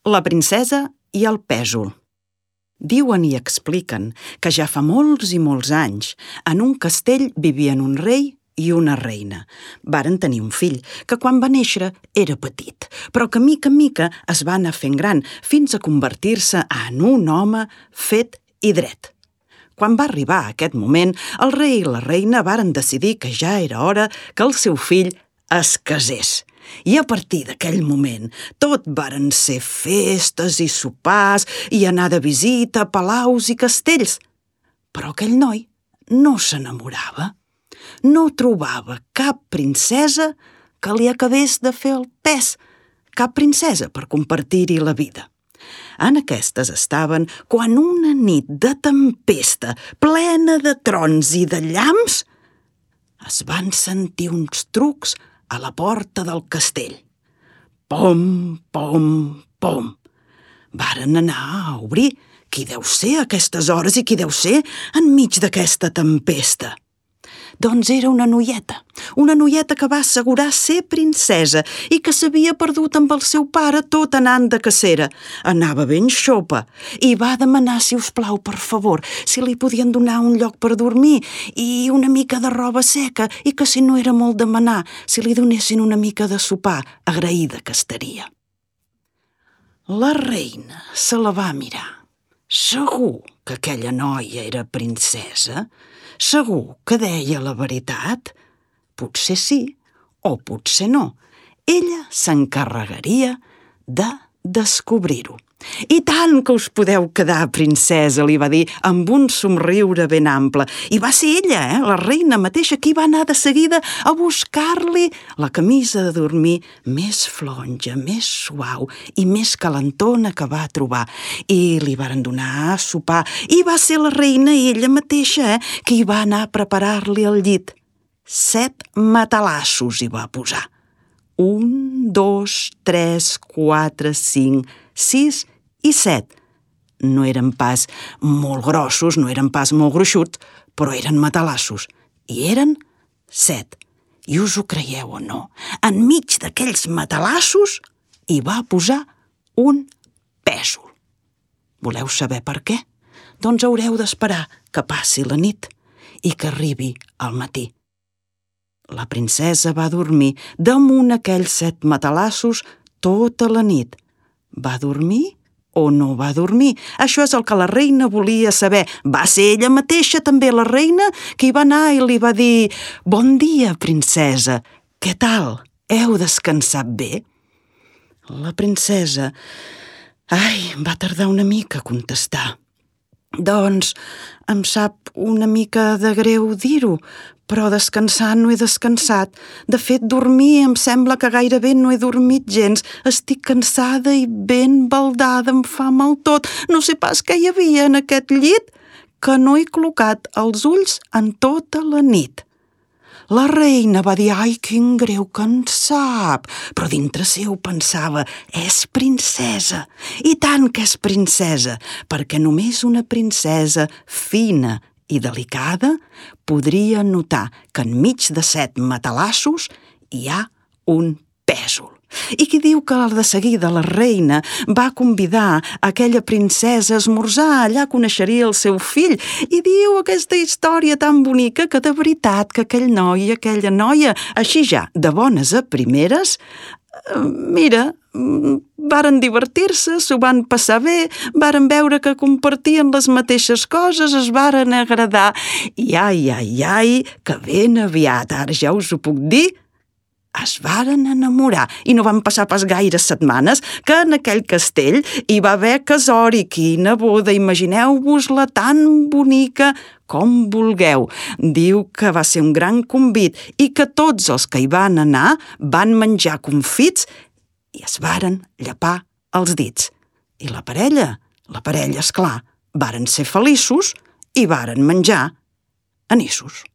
La princesa i el pèsol. Diuen i expliquen que ja fa molts i molts anys en un castell vivien un rei i una reina. Varen tenir un fill, que quan va néixer era petit, però que mica en mica es va anar fent gran fins a convertir-se en un home fet i dret. Quan va arribar aquest moment, el rei i la reina varen decidir que ja era hora que el seu fill es casés. I a partir d'aquell moment tot varen ser festes i sopars i anar de visita a palaus i castells. Però aquell noi no s'enamorava. No trobava cap princesa que li acabés de fer el pes, cap princesa per compartir-hi la vida. En aquestes estaven quan una nit de tempesta, plena de trons i de llamps, es van sentir uns trucs a la porta del castell. Pom, pom, pom. Varen anar a obrir. Qui deu ser a aquestes hores i qui deu ser enmig d'aquesta tempesta? Doncs era una noieta que va assegurar ser princesa i que s'havia perdut amb el seu pare tot anant de cacera. Anava ben xopa i va demanar, si us plau, per favor, si li podien donar un lloc per dormir i una mica de roba seca i que, si no era molt demanar, si li donessin una mica de sopar, agraïda que estaria. La reina se la va mirar. Segur que aquella noia era princesa? Segur que deia la veritat? Potser sí o potser no. Ella s'encarregaria de descobrir-ho. I tant que us podeu quedar, princesa, li va dir amb un somriure ben ample. I va ser ella, la reina mateixa, qui va anar de seguida a buscar-li la camisa de dormir més flonja, més suau i més calentona que va trobar. I li varen donar a sopar. I va ser la reina ella mateixa qui va anar a preparar-li el llit. 7 matalassos hi va posar. 1, 2, 3, 4, 5, 6 i 7. No eren pas molt grossos, no eren pas molt gruixuts, però eren matalassos. I eren 7. I us ho creieu o no? Enmig d'aquells matalassos hi va posar un pèsol. Voleu saber per què? Doncs haureu d'esperar que passi la nit i que arribi al matí. La princesa va dormir damunt aquells 7 matalassos tota la nit. Va dormir o no va dormir? Això és el que la reina volia saber. Va ser ella mateixa, també la reina, qui va anar i li va dir: «Bon dia, princesa. Què tal? Heu descansat bé?» La princesa, va tardar una mica a contestar. «Doncs em sap una mica de greu dir-ho, però descansar no he descansat. De fet, dormir em sembla que gairebé no he dormit gens. Estic cansada i ben baldada, em fa mal tot. No sé pas què hi havia en aquest llit, que no he col·locat els ulls en tota la nit». La reina va dir: «Ai, quin greu que en sap», però dintre seu pensava: «És princesa, i tant que és princesa, perquè només una princesa fina i delicada podria notar que enmig de 7 matalassos hi ha un pèsol». I qui diu que de seguida la reina va convidar aquella princesa a esmorzar, allà coneixeria el seu fill, i diu aquesta història tan bonica que de veritat que aquell noi i aquella noia, així ja, de bones a primeres, varen divertir-se, s'ho van passar bé, varen veure que compartien les mateixes coses, es varen agradar, i ai, que ben aviat, ara ja us ho puc dir, es varen enamorar, i no van passar pas gaires setmanes que en aquell castell hi va haver casori. Quina boda, imagineu-vos-la tan bonica com vulgueu. Diu que va ser un gran convit i que tots els que hi van anar van menjar confits i es varen llepar els dits. I la parella, esclar, varen ser feliços i varen menjar anissos.